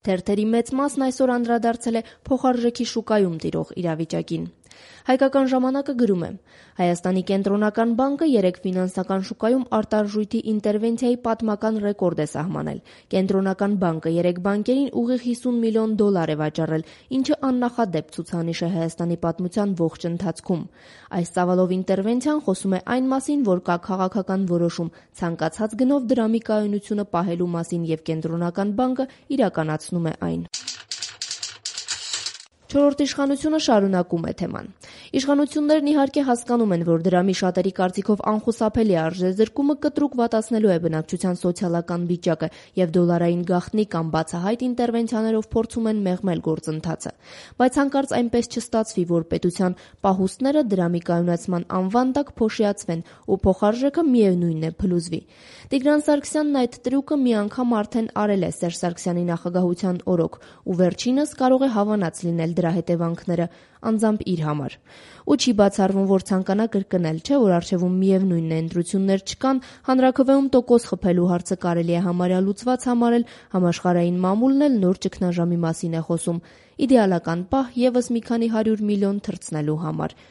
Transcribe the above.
Թերթերի մեծ մասն այսօր անդրադարձել է փոխարժեքի շուկայում տիրող իրավիճակին։ Հայկական ժամանակը գրում է. Հայաստանի կենտրոնական բանկը երեկ ֆինանսական շուկայում արտարժույթի ինտերվենցիայի պատմական ռեկորդ է սահմանել։ Կենտրոնական բանկը երեկ բանկերին ուղիղ $50 միլիոն է վաճառել, ինչը աննախադեպ ցուցանիշ է Հայաստանի պատմության ողջ ընթացքում։ Այս ծավալով ինտերվենցիան խոսում է այն մասին, որ կա քաղաքական որոշում ցանկացած գնով դրամի կայունությունը պահելու մասին եւ կենտրոնական բանկը իրականացնում է այն։ Չորրորդ իշխանությունը շարունակում է թեման։ Իշխանություններն իհարկե հասկանում են, որ դրամի շատերի կարծիքով անխուսափելի արժեզրկումը կտրուկ վատացնելու է բնակչության սոցիալական վիճակը եւ դոլարային գաղտնի կամ բացահայտ ինտերվենցիաներով փորձում են մեղմել գործընթացը։ Բայց հանկարծ այնպես չստացվի, որ պետության պահուստները դրամի կայունացման անվան տակ փոշիացվեն ու փոխարժեքը միևնույնն է փլուզվի։ Տիգրան Սարգսյանն այդ տրյուկը մի անգամ արդեն արել է Սերժ Սարգսյանի նախագահության օրոք ու վերջինս կարող է հավանած լինել դրա հետևանքները անձամբ իր համար։ Ու չի բացառվում, որ ցանկանա կրկնել, չէ՞ որ առջևում միևնույնն է ընտրություններ չկան, հանրաքվեում տոկոս խփելու հարցը կարելի է համարյա լուծված համարել, համաշխարհային մամուլն էլ նոր ճգնաժամի մասին է խոսում, իդեալական պահ եւս մի քանի 100 միլիոն թռցնելու համար։